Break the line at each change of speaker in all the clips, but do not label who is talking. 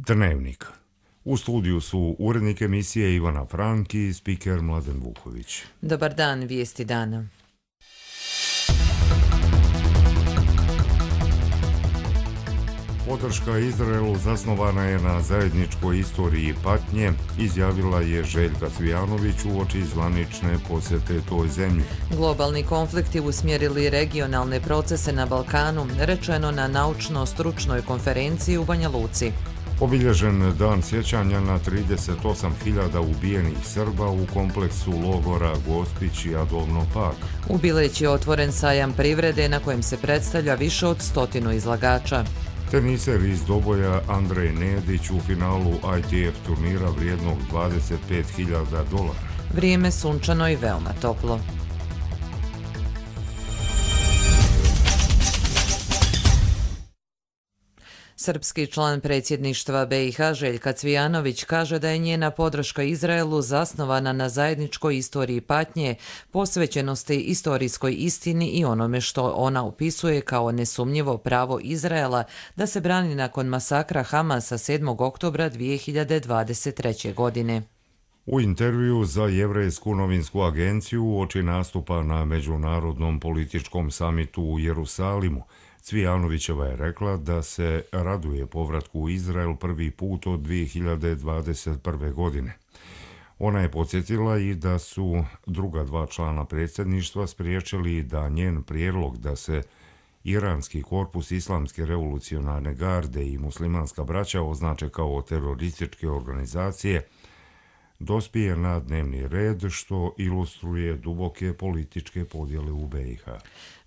Dnevnik. U studiju su urednik emisije Ivana Frank i spiker Mladen Vuković.
Dobar dan, vijesti dana.
Podrška Izraelu zasnovana je na zajedničkoj istoriji patnje, izjavila je Željka Cvijanović uoči zvanične posjete toj zemlji.
Globalni konflikti usmjerili regionalne procese na Balkanu, rečeno na naučno-stručnoj konferenciji u Banja Luci.
Obilježen dan sjećanja na 38.000 ubijenih Srba u kompleksu logora Gospić i Adovno Pag.
U Bileći je otvoren sajam privrede na kojem se predstavlja više od 100 izlagača.
Teniser iz Doboja Andrej Nedić u finalu ITF turnira vrijednog $25.000.
Vrijeme sunčano i veoma toplo. Srpski član predsjedništva BiH Željka Cvijanović kaže da je njena podrška Izraelu zasnovana na zajedničkoj istoriji patnje, posvećenosti istorijskoj istini i onome što ona opisuje kao nesumnjivo pravo Izraela da se brani nakon masakra Hamasa 7. oktobra 2023. godine.
U intervju za Jevrejsku novinsku agenciju uoči nastupa na Međunarodnom političkom samitu u Jerusalimu, Cvijanovićeva je rekla da se raduje povratku u Izrael prvi put od 2021. godine. Ona je podsjetila i da su druga dva člana predsjedništva spriječili da njen prijedlog da se Iranski korpus Islamske revolucionarne garde i muslimanska braća označe kao terorističke organizacije dospije na dnevni red, što ilustruje duboke političke podjele u BiH.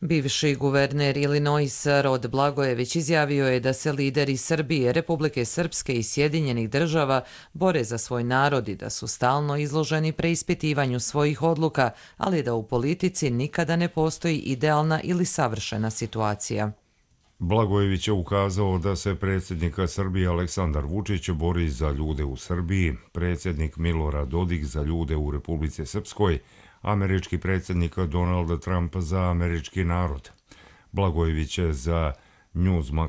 Bivši guverner Illinoisa Rod Blagojević izjavio je da se lideri Srbije, Republike Srpske i Sjedinjenih država bore za svoj narod i da su stalno izloženi preispitivanju svojih odluka, ali da u politici nikada ne postoji idealna ili savršena situacija.
Blagojević je ukazao da se predsjednik Srbije Aleksandar Vučić bori za ljude u Srbiji, predsjednik Milorad Dodik za ljude u Republici Srpskoj, američki predsjednik Donald Trump za američki narod. Blagojević je za Newsmax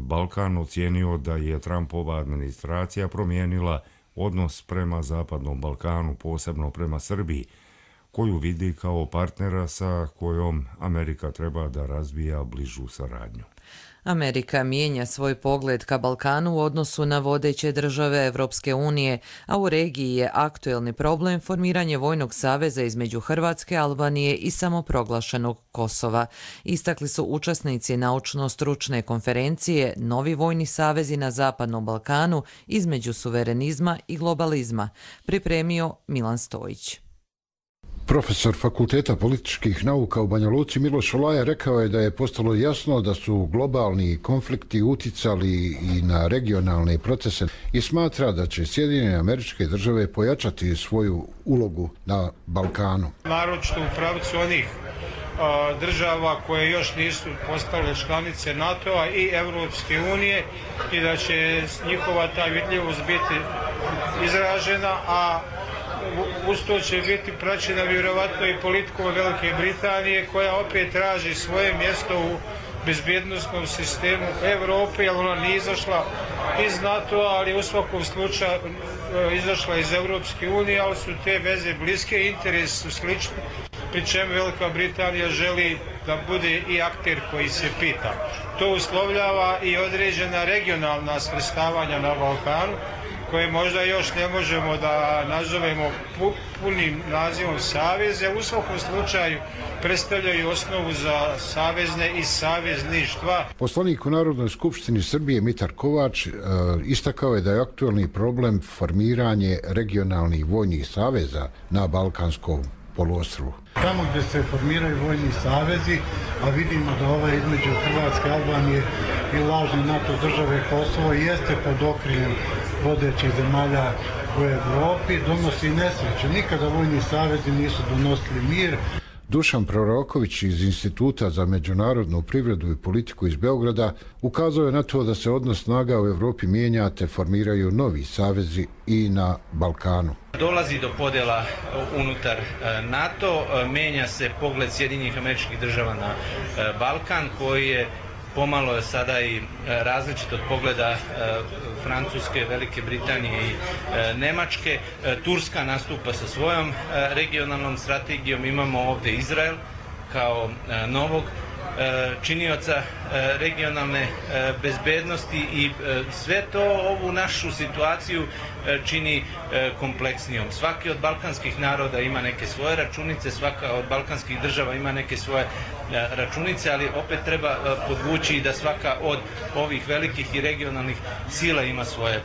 Balkan ocijenio da je Trumpova administracija promijenila odnos prema Zapadnom Balkanu, posebno prema Srbiji, koju vidi kao partnera sa kojom Amerika treba da razvija bližu saradnju.
Amerika mijenja svoj pogled ka Balkanu u odnosu na vodeće države Evropske unije, a u regiji je aktuelni problem formiranje vojnog saveza između Hrvatske, Albanije i samoproglašenog Kosova. Istakli su učesnici naučno-stručne konferencije Novi vojni savezi na Zapadnom Balkanu između suverenizma i globalizma, pripremio Milan Stojić.
Profesor Fakulteta političkih nauka u Banja Luci Miloš Olaja rekao je da je postalo jasno da su globalni konflikti uticali i na regionalne procese i smatra da će Sjedinjene Američke Države pojačati svoju ulogu na Balkanu.
Naročito u pravcu onih država koje još nisu postale članice NATO-a i Evropske unije i da će njihova ta vidljivost biti izražena, a uz to će biti praćena vjerovatno i politikom Velike Britanije, koja opet traži svoje mjesto u bezbjednosnom sistemu Evrope, jer ona nije izašla iz NATO-a, ali u svakom slučaju izašla iz Evropske unije, ali su te veze bliske, interesi su slični, pri čemu Velika Britanija želi da bude i akter koji se pita. To uslovljava i određena regionalna svrstavanja na Balkanu, koje možda još ne možemo da nazovemo punim nazivom saveze, u svakom slučaju predstavljaju osnovu za savezne i savezništva.
Poslanik u Narodnoj skupštini Srbije Mitar Kovač istakao je da je aktuelni problem formiranje regionalnih vojnih saveza na Balkanskom poluostrvu.
Tamo gdje se formiraju vojni savezi, a vidimo da ovaj između Hrvatske, Albanije i lažne NATO države Kosovo jeste pod okriljem vodećih zemalja u Evropi, donosi nesreću. Nikada vojni savezi nisu donosili mir.
Dušan Proroković iz Instituta za međunarodnu privredu i politiku iz Beograda ukazao je na to da se odnos snaga u Evropi mijenja te formiraju novi savezi i na Balkanu.
Dolazi do podjela unutar NATO, menja se pogled Sjedinjenih Američkih Država na Balkan, koji je pomalo je sada i različit od pogleda Francuske, Velike Britanije i Nemačke. Turska nastupa sa svojom regionalnom strategijom, imamo ovdje Izrael kao novog činioca regionalne bezbednosti i sve to ovu našu situaciju čini kompleksnijom. Svaki od balkanskih naroda ima neke svoje računice, svaka od balkanskih država ima neke svoje računice, ali opet treba podvući da svaka od ovih velikih i regionalnih sila ima svoje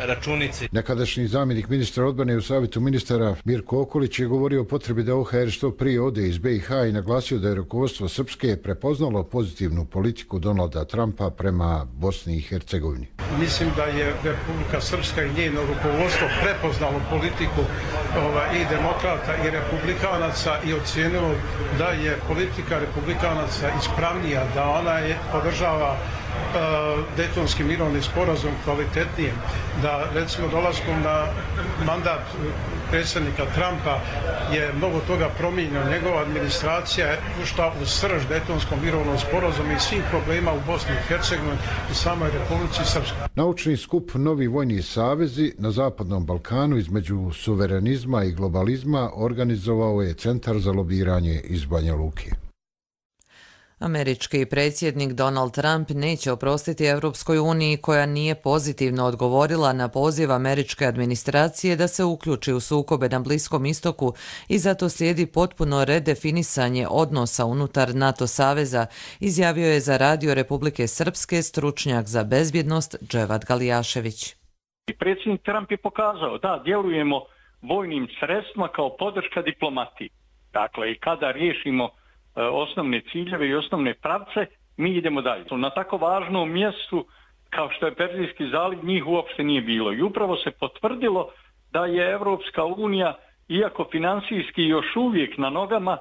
računice.
Nekadašnji zamjenik ministra odbrane u savjetu ministara Mirko Okolić je govorio o potrebi da OHR što prije ode iz BiH i naglasio da je rukovodstvo Srpske prepoznalo pozitivnu politiku Donalda Trumpa prema Bosni i Hercegovini.
Mislim da je Republika Srpska i njeno rukovodstvo prepoznalo politiku i demokrata i republikanaca i ocijenilo da je politika republikanaca ispravnija, da ona podržava Dejtonski mirovni sporazum kvalitetnije, da recimo dolaskom na mandat predsjednika Trumpa je mnogo toga promijenjeno. Njegova administracija je ušla u srž Dejtonskog mirovnog sporazuma i svih problema u Bosni i Hercegovini i samoj Republici Srpskoj.
Naučni skup Novi vojni savezi na Zapadnom Balkanu između suverenizma i globalizma organizovao je Centar za lobiranje iz Banja Luke.
Američki predsjednik Donald Trump neće oprostiti Europskoj uniji koja nije pozitivno odgovorila na poziv američke administracije da se uključi u sukobe na Bliskom istoku i zato slijedi potpuno redefinisanje odnosa unutar NATO saveza, izjavio je za Radio Republike Srpske stručnjak za bezbjednost Dževad Galijašević.
Predsjednik Trump je pokazao da djelujemo vojnim sredstvima kao podrška diplomatiji. Dakle, i kada riješimo osnovne ciljeve i osnovne pravce, mi idemo dalje. Na tako važnom mjestu kao što je Perzijski zaliv njih uopšte nije bilo. I upravo se potvrdilo da je Evropska unija, iako finansijski još uvijek na nogama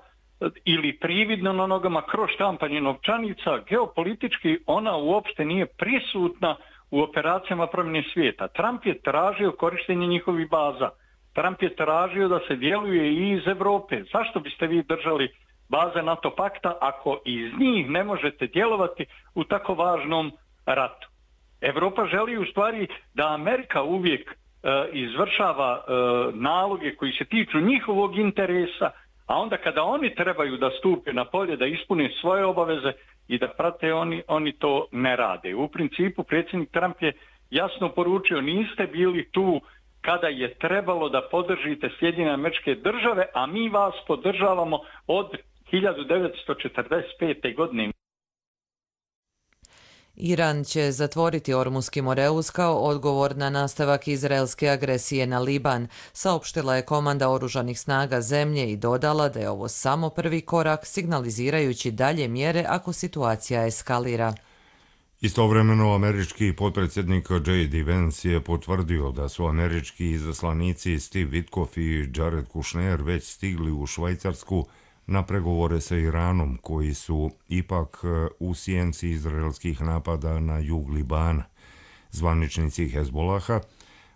ili prividno na nogama kroz štampanje novčanica, geopolitički ona uopšte nije prisutna u operacijama promjene svijeta. Trump je tražio korištenje njihovih baza. Trump je tražio da se djeluje i iz Europe. Zašto biste vi držali baze NATO pakta ako iz njih ne možete djelovati u tako važnom ratu? Europa želi u stvari da Amerika uvijek izvršava naloge koji se tiču njihovog interesa, a onda kada oni trebaju da stupe na polje, da ispune svoje obaveze i da prate, oni to ne rade. U principu predsjednik Trump je jasno poručio, niste bili tu kada je trebalo da podržite Sjedinjene Američke Države, a mi vas podržavamo od 1945. godine.
Iran će zatvoriti Ormuski Moreus kao odgovor na nastavak izraelske agresije na Liban, saopštila je komanda oružanih snaga zemlje i dodala da je ovo samo prvi korak, signalizirajući dalje mjere ako situacija eskalira.
Istovremeno, američki potpredsjednik J.D. Vance je potvrdio da su američki izaslanici Steve Witkoff i Jared Kushner već stigli u Švajcarsku na pregovore sa Iranom, koji su ipak u sjenci izraelskih napada na jug Libana. Zvaničnici Hezbolaha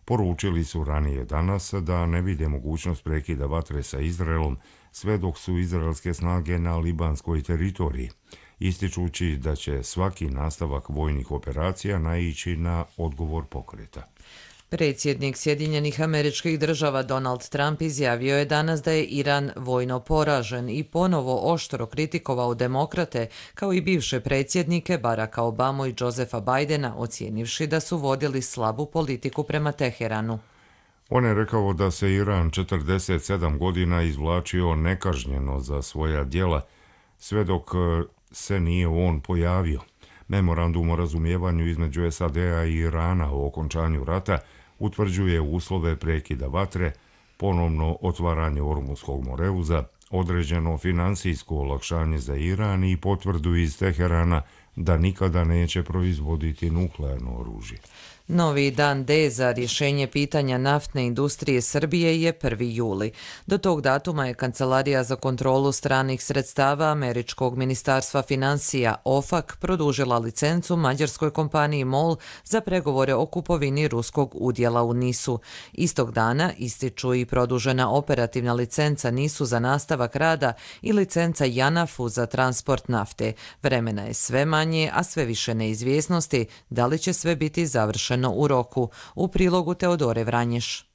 poručili su ranije danas da ne vide mogućnost prekida vatre sa Izraelom sve dok su izraelske snage na libanskoj teritoriji, ističući da će svaki nastavak vojnih operacija naići na odgovor pokreta.
Predsjednik Sjedinjenih Američkih Država Donald Trump izjavio je danas da je Iran vojno poražen i ponovo oštro kritikovao demokrate kao i bivše predsjednike Baracka Obamu i Josepha Bidena, ocijenivši da su vodili slabu politiku prema Teheranu.
On je rekao da se Iran 47 godina izvlačio nekažnjeno za svoja djela, sve dok se nije on pojavio. Memorandum o razumijevanju između SAD-a i Irana o okončanju rata utvrđuje uslove prekida vatre, ponovno otvaranje Ormuskog Moreuza, određeno finansijsko olakšanje za Iran i potvrdu iz Teherana da nikada neće proizvoditi nuklearno oružje.
Novi dan D za rješenje pitanja naftne industrije Srbije je 1. juli. Do tog datuma je Kancelarija za kontrolu stranih sredstava Američkog ministarstva financija OFAC produžila licencu mađarskoj kompaniji MOL za pregovore o kupovini ruskog udjela u NIS-u. Istog dana ističu i produžena operativna licenca NIS-u za nastavak rada i licenca JANAF-u za transport nafte. Vremena je sve manje, a sve više neizvjesnosti da li će sve biti završeno u roku. U prilogu Teodore Vranješ.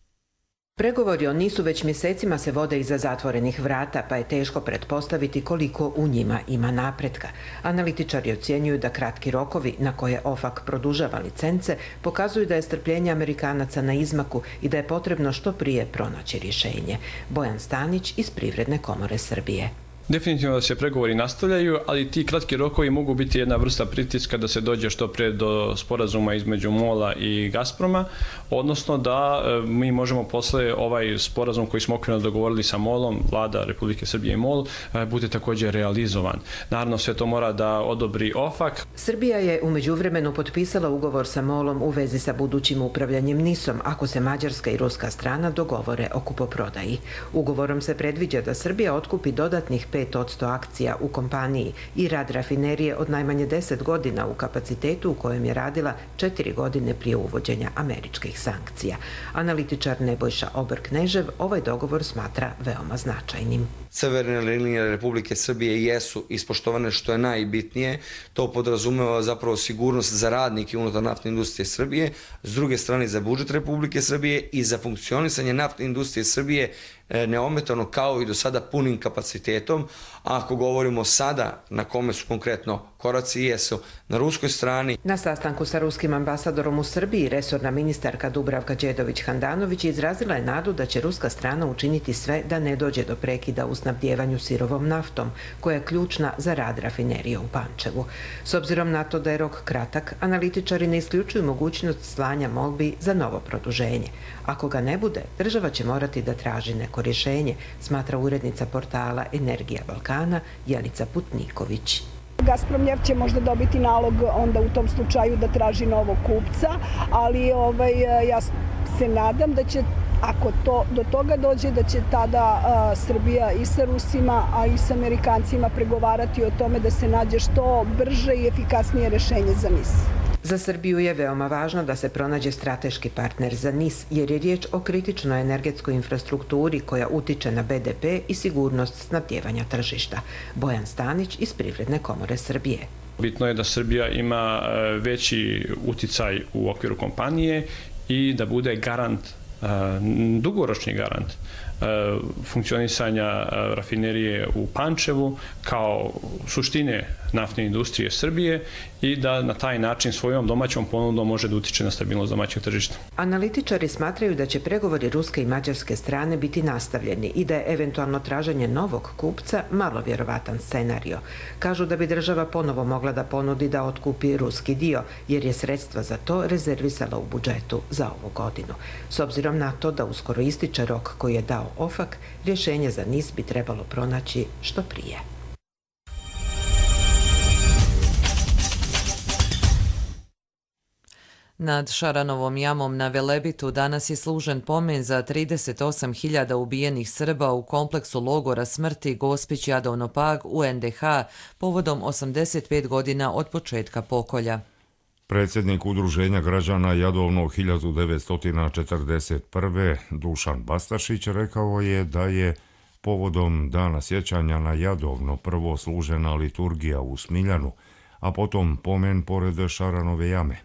Pregovori o NIS-u već mjesecima se vode iza zatvorenih vrata, pa je teško pretpostaviti koliko u njima ima napretka. Analitičari ocjenjuju da kratki rokovi na koje OFAC produžava licence pokazuju da je strpljenje Amerikanaca na izmaku i da je potrebno što prije pronaći rješenje. Bojan Stanić iz Privredne komore Srbije.
Definitivno da se pregovori nastavljaju, ali ti kratki rokovi mogu biti jedna vrsta pritiska da se dođe što prije do sporazuma između MOL-a i Gazproma, odnosno da mi možemo posle ovaj sporazum koji smo okvirno dogovorili sa MOL-om, Vlada Republike Srbije i MOL, bude također realizovan. Naravno, sve to mora da odobri OFAC.
Srbija je u međuvremenu potpisala ugovor sa MOL-om u vezi sa budućim upravljanjem NIS-om ako se mađarska i ruska strana dogovore o kupoprodaji. Ugovorom se predviđa da Srbija otkupi dodatnih 5% akcija u kompaniji i rad rafinerije od najmanje 10 godina u kapacitetu u kojem je radila 4 godine prije uvođenja američkih sankcija. Analitičar Nebojša Obr-Knežev ovaj dogovor smatra veoma značajnim.
Crvene linije Republike Srbije jesu ispoštovane, što je najbitnije. To podrazumeva zapravo sigurnost za radnike unutar naftne industrije Srbije, s druge strane za budžet Republike Srbije i za funkcionisanje naftne industrije Srbije neometano kao i do sada punim kapacitetom. A ako govorimo sada na kome su konkretno koraci, jesu na ruskoj strani.
Na sastanku sa ruskim ambasadorom u Srbiji resorna ministarka Dubravka Đedović-Handanović izrazila je nadu da će ruska strana učiniti sve da ne dođe do prekida u snabdjevanju sirovom naftom, koja je ključna za rad rafinerije u Pančevu. S obzirom na to da je rok kratak, analitičari ne isključuju mogućnost slanja molbi za novo produženje. Ako ga ne bude, država će morati da traži neko rješenje, smatra urednica portala Energija Balkana Janica Putniković.
Gazpromnjeft će možda dobiti nalog onda u tom slučaju da traži novog kupca, ali ja se nadam da će, ako to do toga dođe, da će tada Srbija i sa Rusima, a i sa Amerikancima pregovarati o tome da se nađe što brže i efikasnije rješenje za NIS.
Za Srbiju je veoma važno da se pronađe strateški partner za NIS, jer je riječ o kritičnoj energetskoj infrastrukturi koja utiče na BDP i sigurnost snabdjevanja tržišta. Bojan Stanić iz Privredne komore Srbije.
Bitno je da Srbija ima veći uticaj u okviru kompanije i da bude garant, dugoročni garant funkcionisanja rafinerije u Pančevu kao suštine naftne industrije Srbije i da na taj način svojom domaćom ponudom može da utiče na stabilnost domaćeg tržišta.
Analitičari smatraju da će pregovori ruske i mađarske strane biti nastavljeni i da je eventualno traženje novog kupca malo vjerovatan scenario. Kažu da bi država ponovo mogla da ponudi da otkupi ruski dio, jer je sredstva za to rezervisala u budžetu za ovu godinu. S obzirom na to da uskoro ističe rok koji je dao OFAC, rješenje za NIS bi trebalo pronaći što prije.
Nad Šaranovom jamom na Velebitu danas je služen pomen za 38.000 ubijenih Srba u kompleksu logora smrti Gospić Jadovno Pag u NDH povodom 85 godina od početka pokolja.
Predsjednik Udruženja građana Jadovno 1941. Dušan Bastašić rekao je da je povodom Dana sjećanja na Jadovno prvo služena liturgija u Smiljanu, a potom pomen pored Šaranove jame.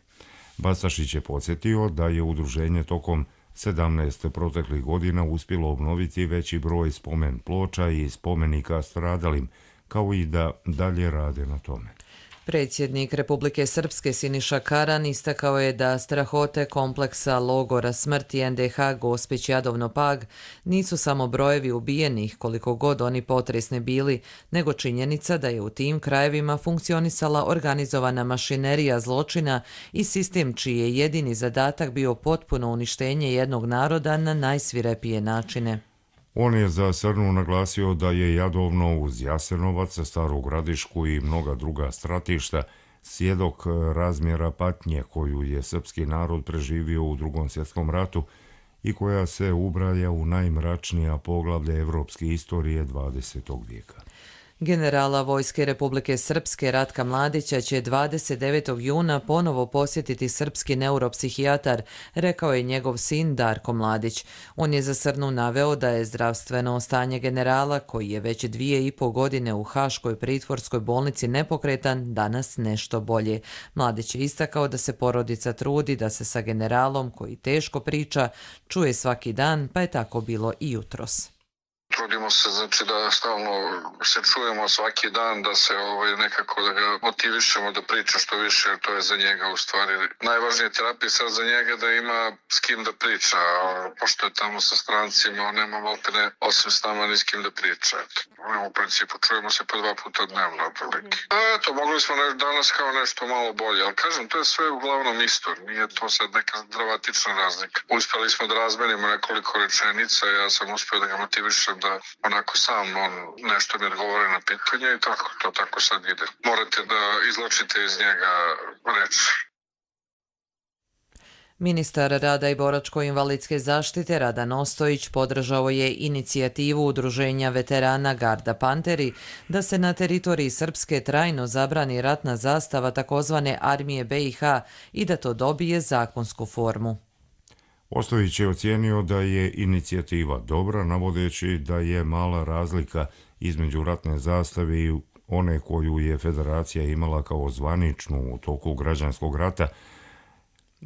Bastašić je podsjetio da je udruženje tokom 17 proteklih godina uspjelo obnoviti veći broj spomen ploča i spomenika stradalim, kao i da dalje rade na tome.
Predsjednik Republike Srpske Siniša Karan istakao je da strahote kompleksa logora smrti NDH Gospić Jadovno Pag nisu samo brojevi ubijenih koliko god oni potresni bili, nego činjenica da je u tim krajevima funkcionisala organizovana mašinerija zločina i sistem čiji je jedini zadatak bio potpuno uništenje jednog naroda na najsvirepije načine.
On je za Srnu naglasio da je Jadovno uz Jasenovac, Staru Gradišku i mnoga druga stratišta svjedok razmjera patnje koju je srpski narod preživio u Drugom svjetskom ratu i koja se ubraja u najmračnija poglavlja evropske istorije 20. vijeka.
Generala Vojske Republike Srpske Ratka Mladića će 29. juna ponovo posjetiti srpski neuropsihijatar, rekao je njegov sin Darko Mladić. On je za Srnu naveo da je zdravstveno stanje generala, koji je već 2,5 godine u Haškoj pritvorskoj bolnici nepokretan, danas nešto bolje. Mladić je istakao da se porodica trudi da se sa generalom, koji teško priča, čuje svaki dan, pa je tako bilo i jutros.
Trudimo se, znači, da stalno se čujemo svaki dan, da se nekako da ga motivišemo da priča što više, jer to je za njega u stvari najvažnija terapija sad za njega, da ima s kim da priča, pošto je tamo sa strancima, on nema maltene osim s nama ni s kim da priča. U principu čujemo se po 2 puta dnevno otprilike. Eto, mogli smo danas kao nešto malo bolje, ali kažem, to je sve uglavnom isto, nije to sad neka dramatična razlika. Uspjeli smo da razmenimo nekoliko rečenica, ja sam uspio da ga motivišem da onako sam on nešto mi odgovore na pitanje i to tako sad ide. Morate da izločite iz njega reči.
Ministar rada i boračko-invalidske zaštite Radan Ostojić podržao je inicijativu Udruženja veterana Garda Panteri da se na teritoriji Srpske trajno zabrani ratna zastava takozvane armije BiH i da to dobije zakonsku formu.
Ostojić je ocijenio da je inicijativa dobra, navodeći da je mala razlika između ratne zastave i one koju je federacija imala kao zvaničnu u toku građanskog rata,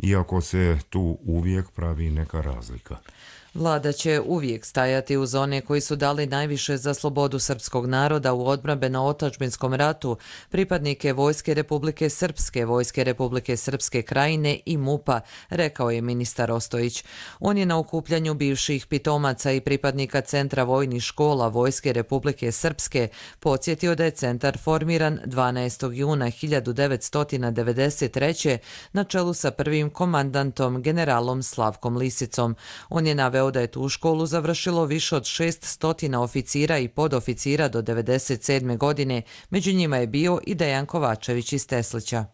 iako se tu uvijek pravi neka razlika.
Vlada će uvijek stajati uz one koji su dali najviše za slobodu srpskog naroda u odbrambeno-otadžbinskom ratu, pripadnike Vojske Republike Srpske, Vojske Republike Srpske Krajine i MUP-a, rekao je ministar Ostojić. On je na okupljanju bivših pitomaca i pripadnika Centra vojnih škola Vojske Republike Srpske podsjetio da je centar formiran 12. juna 1993. na čelu sa prvim komandantom generalom Slavkom Lisicom. On je naveo da je tu školu završilo više od 600 oficira i podoficira do 1997. godine, među njima je bio i Dejan Kovačević iz Teslića.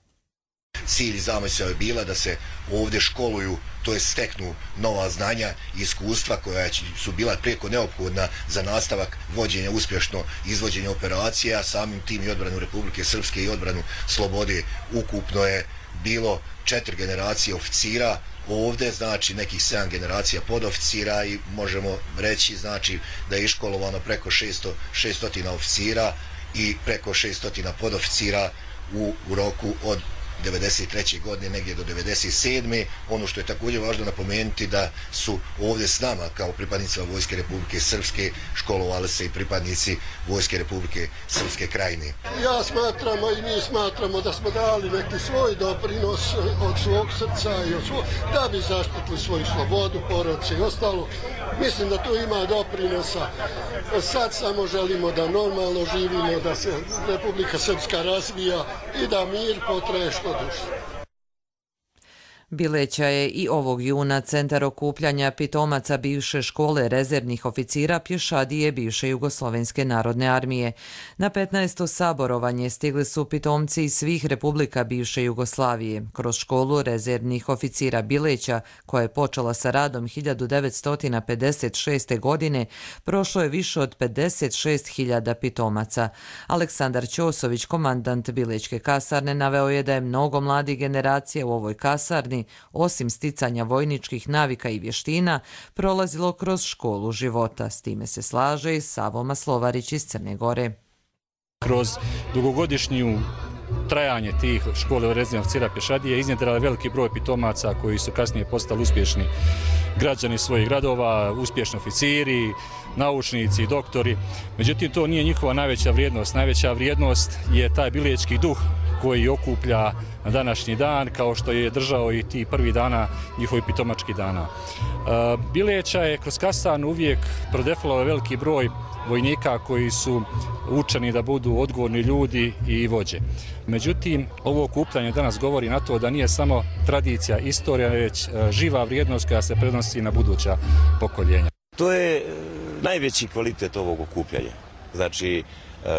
Cilj i zamisao je bila da se ovdje školuju, to je steknu nova znanja i iskustva koja su bila preko neophodna za nastavak vođenja, uspješno izvođenja operacija, samim tim i odbranu Republike Srpske i odbranu slobode. Ukupno je bilo 4 generacije oficira, ovdje znači nekih 7 generacija podoficira i možemo reći znači da je iškolovano preko 600 oficira i preko 600 podoficira u roku od 1993. godine negdje do 1997. Ono što je također važno napomenuti da su ovdje s nama kao pripadnicima Vojske Republike Srpske školovali se i pripadnici Vojske Republike Srpske Krajine.
Ja smatram i mi smatramo da smo dali neki svoj doprinos od svog srca i od svog, da bi zaštitili svoju slobodu, porodice i ostalo. Mislim da tu ima doprinosa. Sad samo želimo da normalno živimo, da se Republika Srpska razvija i da mir potraje što duže.
Bileća je i ovog juna centar okupljanja pitomaca bivše škole rezervnih oficira pješadije bivše Jugoslovenske narodne armije. Na 15. saborovanje stigli su pitomci iz svih republika bivše Jugoslavije. Kroz školu rezervnih oficira Bileća, koja je počela sa radom 1956. godine, prošlo je više od 56.000 pitomaca. Aleksandar Ćosović, komandant Bilečke kasarne, naveo je da je mnogo mladih generacija u ovoj kasarni, osim sticanja vojničkih navika i vještina, prolazilo kroz školu života. S time se slaže i Savo Maslovarić iz Crne Gore.
Kroz dugogodišnju trajanje tih škole rezervnih oficira pješadije iznjedrila veliki broj pitomaca koji su kasnije postali uspješni građani svojih gradova, uspješni oficiri, naučnici, doktori. Međutim, to nije njihova najveća vrijednost. Najveća vrijednost je taj bilečki duh koji okuplja na današnji dan, kao što je držao i ti prvi dana njihovi pitomački dana. Bileća je kroz kasarnu uvijek prodefilao veliki broj vojnika koji su učeni da budu odgovorni ljudi i vođe. Međutim, ovo okupljanje danas govori na to da nije samo tradicija, istorija, već živa vrijednost koja se prenosi na buduća pokoljenja.
To je najveći kvalitet ovog okupljanja. Znači,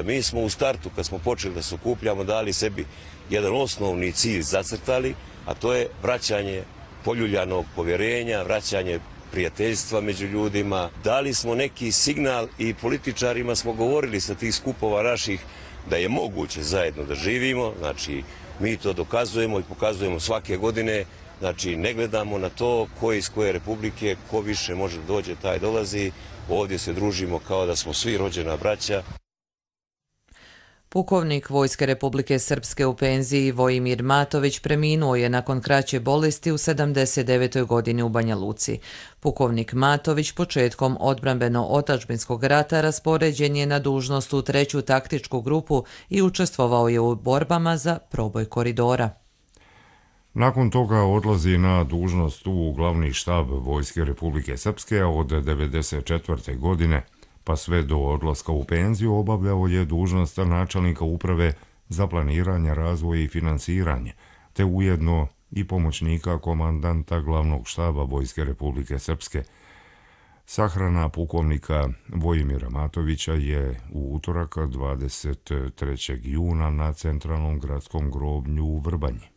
Mi smo u startu, kad smo počeli da se okupljamo, dali sebi jedan osnovni cilj zacrtali, a to je vraćanje poljuljanog povjerenja, vraćanje prijateljstva među ljudima. Dali smo neki signal i političarima smo govorili sa tih skupova naših da je moguće zajedno da živimo. Znači, mi to dokazujemo i pokazujemo svake godine. Znači, ne gledamo na to ko iz koje republike, ko više može da dođe, taj dolazi. Ovdje se družimo kao da smo svi rođena braća.
Pukovnik Vojske Republike Srpske u penziji Vojimir Matović preminuo je nakon kraće bolesti u 79. godini u Banja Luci. Pukovnik Matović početkom odbrambeno-otadžbinskog rata raspoređen je na dužnost u 3. taktičku grupu i učestvovao je u borbama za proboj koridora.
Nakon toga odlazi na dužnost u glavni štab Vojske Republike Srpske od 1994. godine, pa sve do odlaska u penziju obavljao je dužnost načelnika uprave za planiranje, razvoj i finansiranje, te ujedno i pomoćnika komandanta glavnog štaba Vojske Republike Srpske. Sahrana pukovnika Vojimira Matovića je u utorak 23. juna na centralnom gradskom groblju u Vrbanji.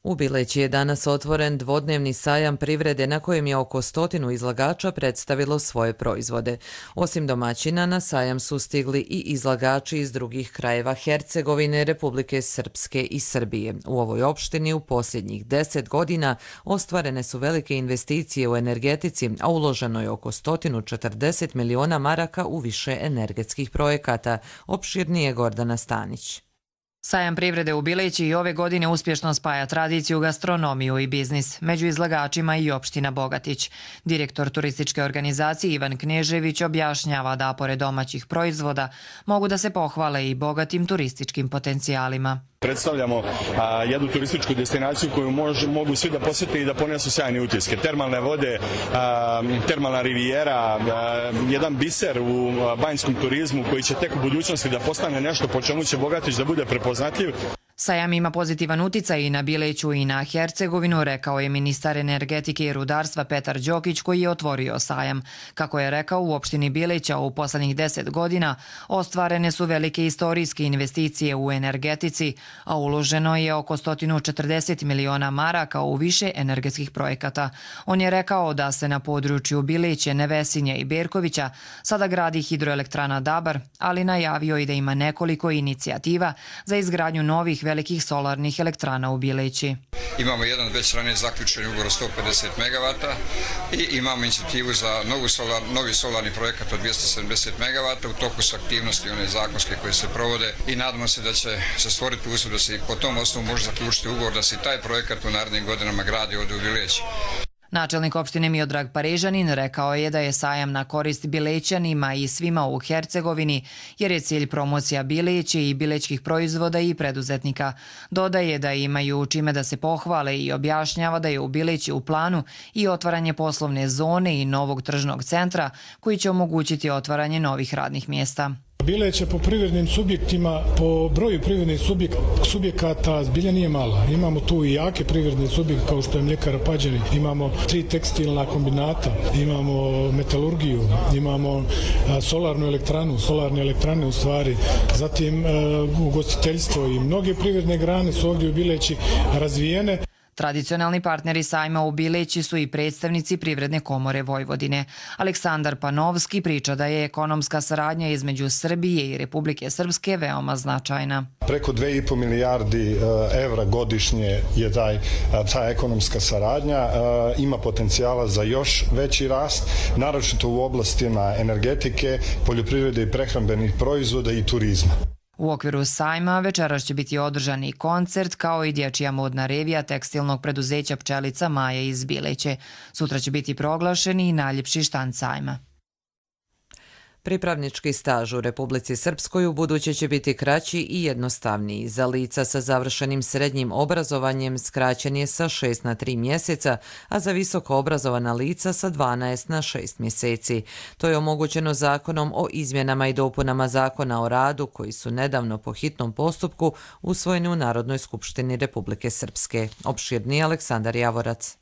U Bileći je danas otvoren dvodnevni sajam privrede na kojem je oko 100 izlagača predstavilo svoje proizvode. Osim domaćina, na sajam su stigli i izlagači iz drugih krajeva Hercegovine, Republike Srpske i Srbije. U ovoj opštini u posljednjih 10 godina ostvarene su velike investicije u energetici, a uloženo je oko 140 miliona maraka u više energetskih projekata. Opširnije Gordana Stanić.
Sajam privrede u Bileći i ove godine uspješno spaja tradiciju, gastronomiju i biznis. Među izlagačima i opština Bogatić. Direktor turističke organizacije Ivan Knežević objašnjava da pored domaćih proizvoda mogu da se pohvale i bogatim turističkim potencijalima.
Predstavljamo jednu turističku destinaciju koju mogu svi da posjete i da ponesu sjajne utiske. Termalne vode, termalna rivijera, jedan biser u banjskom turizmu koji će tek u budućnosti da postane nešto po čemu će Bogatić da bude prepoznatljiv.
Sajam ima pozitivan uticaj i na Bileću i na Hercegovinu, rekao je ministar energetike i rudarstva Petar Đokić koji je otvorio sajam. Kako je rekao, u opštini Bileća u poslednjih 10 godina ostvarene su velike istorijske investicije u energetici, a uloženo je oko 140 miliona maraka u više energetskih projekata. On je rekao da se na području Bileće, Nevesinje i Berkovića sada gradi hidroelektrana Dabar, ali najavio i da ima nekoliko inicijativa za izgradnju novih velikih solarnih elektrana u Bileći.
Imamo jedan već ranije zaključen ugovor 150 MW i imamo inicijativu za novi solarni projekat od 270 MW. U toku su aktivnosti one zakonske koje se provode i nadamo se da će se stvoriti uslov da se po tom osnovu može zaključiti ugovor da se taj projekat u narednim godinama gradi ovdje u Bileći.
Načelnik opštine Miodrag Parežanin rekao je da je sajam na korist Bilećanima i svima u Hercegovini, jer je cilj promocija Bileći i bilećkih proizvoda i preduzetnika. Dodaje da imaju čime da se pohvale i objašnjava da je u Bileći u planu i otvaranje poslovne zone i novog tržnog centra koji će omogućiti otvaranje novih radnih mjesta.
Bileće po privrednim subjektima, po broju privrednih subjekata zbilja nije mala. Imamo tu i jake privredne subjekte kao što je Mljekara Pađani, imamo 3 tekstilna kombinata, imamo metalurgiju, imamo solarne elektrane u stvari, zatim ugostiteljstvo i mnoge privredne grane su ovdje u Bileći razvijene.
Tradicionalni partneri sajma u Bileći su i predstavnici Privredne komore Vojvodine. Aleksandar Panovski priča da je ekonomska saradnja između Srbije i Republike Srpske veoma značajna.
Preko 2,5 milijardi evra godišnje je ta ekonomska saradnja. Ima potencijala za još veći rast, naročito u oblastima energetike, poljoprivrede i prehrambenih proizvoda i turizma.
U okviru sajma večeras će biti održan i koncert kao i dječja modna revija tekstilnog preduzeća Pčelica Maja iz Bileće. Sutra će biti proglašen i najljepši štand sajma.
Pripravnički staž u Republici Srpskoj u buduće će biti kraći i jednostavniji. Za lica sa završenim srednjim obrazovanjem skraćen je sa 6 na 3 mjeseca, a za visoko obrazovana lica sa 12 na 6 mjeseci. To je omogućeno zakonom o izmjenama i dopunama Zakona o radu, koji su nedavno po hitnom postupku usvojeni u Narodnoj skupštini Republike Srpske. Opširniji Aleksandar Javorac.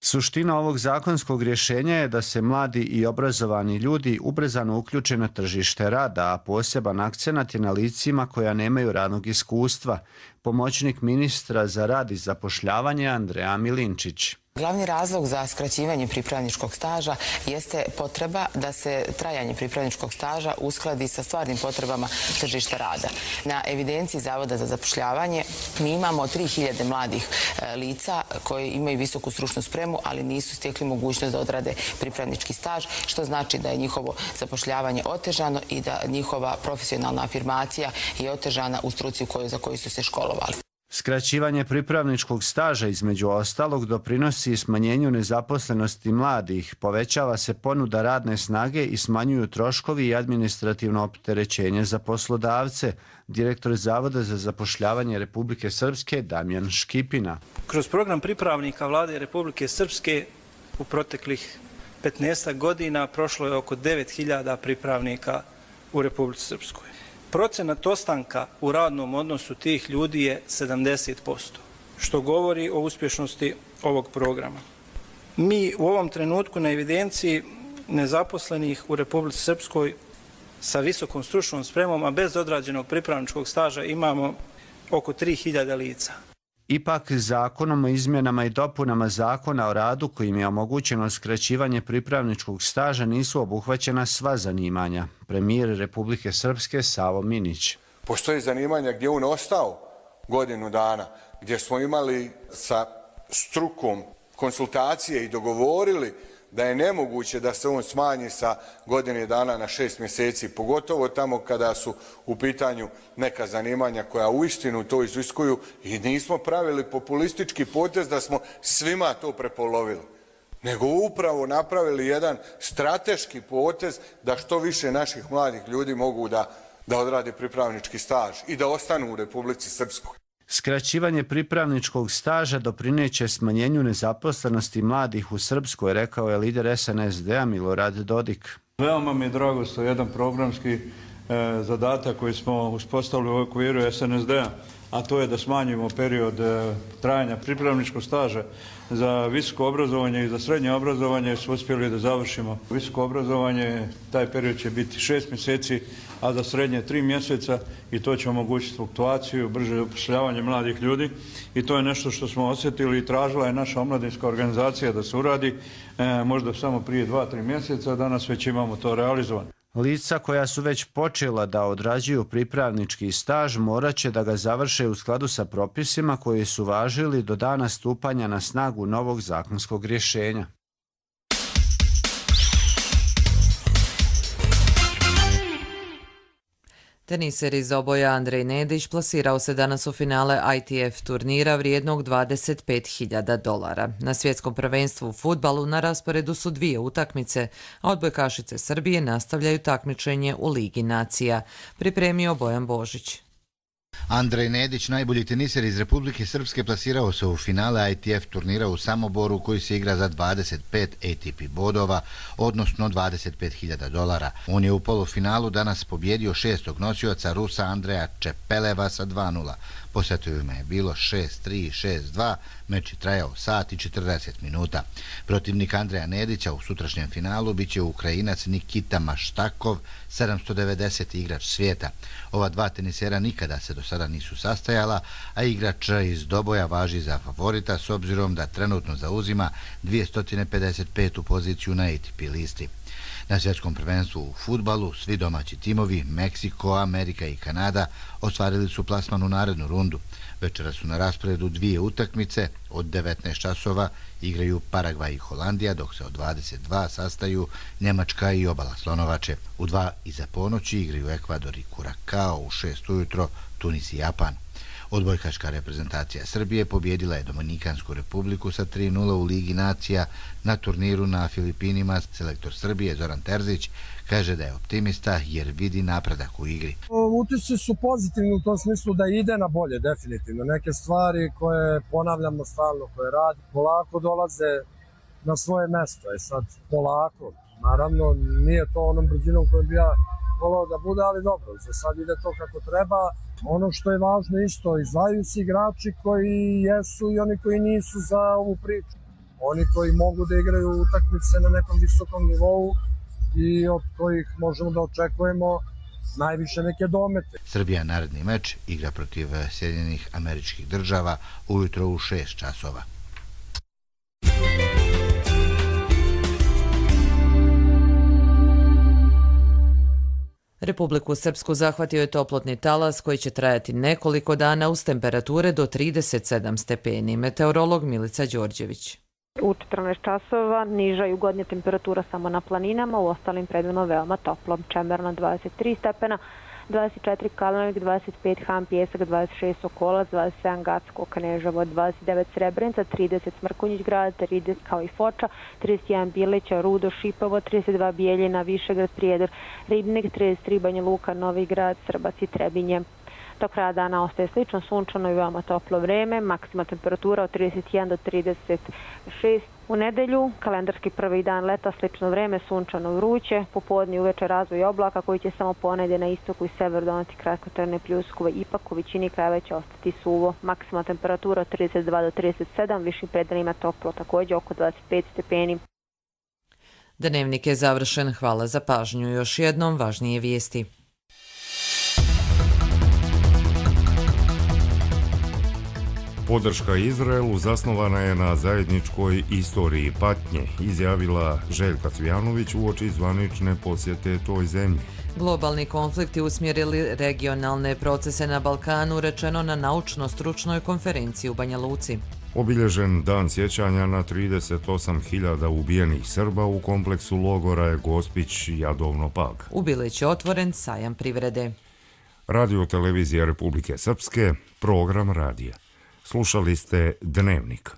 Suština ovog zakonskog rješenja je da se mladi i obrazovani ljudi ubrzano uključe na tržište rada, a poseban akcenat je na licima koja nemaju radnog iskustva. Pomoćnik ministra za rad i zapošljavanje Andreja Milinčić.
Glavni razlog za skraćivanje pripravničkog staža jeste potreba da se trajanje pripravničkog staža uskladi sa stvarnim potrebama tržišta rada. Na evidenciji Zavoda za zapošljavanje mi imamo 3000 mladih lica koji imaju visoku stručnu spremu, ali nisu stekli mogućnost da odrade pripravnički staž, što znači da je njihovo zapošljavanje otežano i da njihova profesionalna afirmacija je otežana u struci za koju su se školovali.
Skraćivanje pripravničkog staža između ostalog doprinosi smanjenju nezaposlenosti mladih, povećava se ponuda radne snage i smanjuju troškovi i administrativno opterećenje za poslodavce. Direktor Zavoda za zapošljavanje Republike Srpske Damjan Škipina.
Kroz program pripravnika Vlade Republike Srpske u proteklih 15 godina prošlo je oko 9000 pripravnika u Republici Srpskoj. Procenat ostanka u radnom odnosu tih ljudi je 70%, što govori o uspješnosti ovog programa. Mi u ovom trenutku na evidenciji nezaposlenih u Republici Srpskoj sa visokom stručnom spremom, a bez odrađenog pripravničkog staža imamo oko 3000 lica.
Ipak, zakonom o izmjenama i dopunama Zakona o radu, kojim je omogućeno skraćivanje pripravničkog staža, nisu obuhvaćena sva zanimanja. Premijer Republike Srpske Savo Minić.
Postoje zanimanja gdje on ostao godinu dana, gdje smo imali sa strukom konsultacije i dogovorili da je nemoguće da se on smanji sa godine dana na 6 mjeseci, pogotovo tamo kada su u pitanju neka zanimanja koja uistinu to iziskuju, i nismo pravili populistički potez da smo svima to prepolovili, nego upravo napravili jedan strateški potez da što više naših mladih ljudi mogu da odrade pripravnički staž i da ostanu u Republici Srpskoj.
Skraćivanje pripravničkog staža doprineće smanjenju nezaposlenosti mladih u Srpskoj, rekao je lider SNSD-a Milorad Dodik.
Veoma mi je drago što je jedan programski zadatak koji smo uspostavili u okviru SNSD-a, a to je da smanjimo period trajanja pripravničkog staža za visoko obrazovanje i za srednje obrazovanje. Su uspjeli da završimo visoko obrazovanje, taj period će biti 6 mjeseci, a za srednje 3 mjeseca, i to će omogućiti fluktuaciju, brže zapošljavanje mladih ljudi, i to je nešto što smo osjetili i tražila je naša omladinska organizacija da se uradi možda samo prije 2-3 mjeseca, danas već imamo to realizovano.
Lica koja su već počela da odrađuju pripravnički staž morat će da ga završe u skladu sa propisima koji su važili do dana stupanja na snagu novog zakonskog rješenja.
Teniser iz oboja Andrej Nedić plasirao se danas u finale ITF turnira vrijednog $25.000. Na svjetskom prvenstvu u fudbalu na rasporedu su 2 utakmice, a odbojkašice Srbije nastavljaju takmičenje u Ligi nacija. Pripremio Bojan Božić.
Andrej Nedić, najbolji teniser iz Republike Srpske, plasirao se u finale ITF turnira u Samoboru, koji se igra za 25 ATP bodova, odnosno $25.000. On je u polufinalu danas pobjedio 6. nosioca Rusa Andreja Čepeleva sa 2:0. Po setovima je bilo 6-3, 6-2, meč je trajao sat i 40 minuta. Protivnik Andreja Nedića u sutrašnjem finalu biće Ukrajinac Nikita Maštakov, 790. igrač svijeta. Ova dva tenisera nikada se do sada nisu sastajala, a igrač iz Doboja važi za favorita s obzirom da trenutno zauzima 255. poziciju na ATP listi. Na svjetskom prvenstvu u fudbalu svi domaći timovi, Meksiko, Amerika i Kanada, ostvarili su plasman u narednu rundu. Večera su na rasporedu 2 utakmice, od 19 časova igraju Paragvaj i Holandija, dok se od 22 sastaju Njemačka i Obala Slonovače. U 2 iza ponoći igraju Ekvador i Kurakao, u 6 ujutro Tunis i Japan. Odbojkaška reprezentacija Srbije pobjedila je Dominikansku republiku sa 3:0 u Ligi nacija na turniru na Filipinima. Selektor Srbije Zoran Terzić kaže da je optimista jer vidi napredak u igri.
Utisci su pozitivni u tom smislu da ide na bolje, definitivno. Neke stvari koje ponavljamo stalno, koje radi, polako dolaze na svoje mesto. Sad polako, naravno nije to onom brzinom kojom bi ja volao da bude, ali dobro, za sad ide to kako treba. Ono što je važno isto, izdvajaju se igrači koji jesu i oni koji nisu za ovu priču. Oni koji mogu da igraju utakmice na nekom visokom nivou i od kojih možemo da očekujemo najviše neke domete.
Srbija naredni meč igra protiv Sjedinjenih Američkih Država ujutro u 6 časova.
Republiku Srpsku zahvatio je toplotni talas koji će trajati nekoliko dana uz temperature do 37 stepeni. Meteorolog Milica Đorđević.
U 14 časova niža jugodnja temperatura samo na planinama, u ostalim predelima veoma toplo. Čemerna 23 stepena, 24 Kalnovik, 25 Han Pjesak, 26 Sokolac, 27 Gacko Kneževo, 29 Srebrenica, 30 Smrkonjić grad, 30 kao i Foča, 31 Bileća, Rudo, Šipovo, 32 Bijeljina, Višegrad, Prijedor, Ribnik, 33 Banja Luka, Novi Grad, Srbac i Trebinje. Do kraja dana ostaje slično sunčano i veoma toplo vreme, maksimalna temperatura od 31 do 36. U nedelju, kalendarski prvi dan leta, slično vreme, sunčano vruće, popodne i uveče razvoj oblaka koji će samo ponedje na istoku i severu doneti kratkotrajne pljuskove, ipak u većini krajeva će ostati suvo. Maksimalna temperatura od 32 do 37, višim predelima toplo, također oko 25 stepeni.
Dnevnik je završen, hvala za pažnju. Još jednom važnije vijesti.
Podrška Izraelu zasnovana je na zajedničkoj istoriji patnje, izjavila Željka Cvijanović uoči zvanične posjete toj zemlji.
Globalni konflikti usmjerili regionalne procese na Balkanu, rečeno na naučno-stručnoj konferenciji u Banja Luci.
Obilježen dan sjećanja na 38.000 ubijenih Srba u kompleksu logora je Gospić Jadovno Pag.
U Bileću je otvoren sajam privrede.
Radio televizija Republike Srpske, program radija. Slušali ste Dnevnik.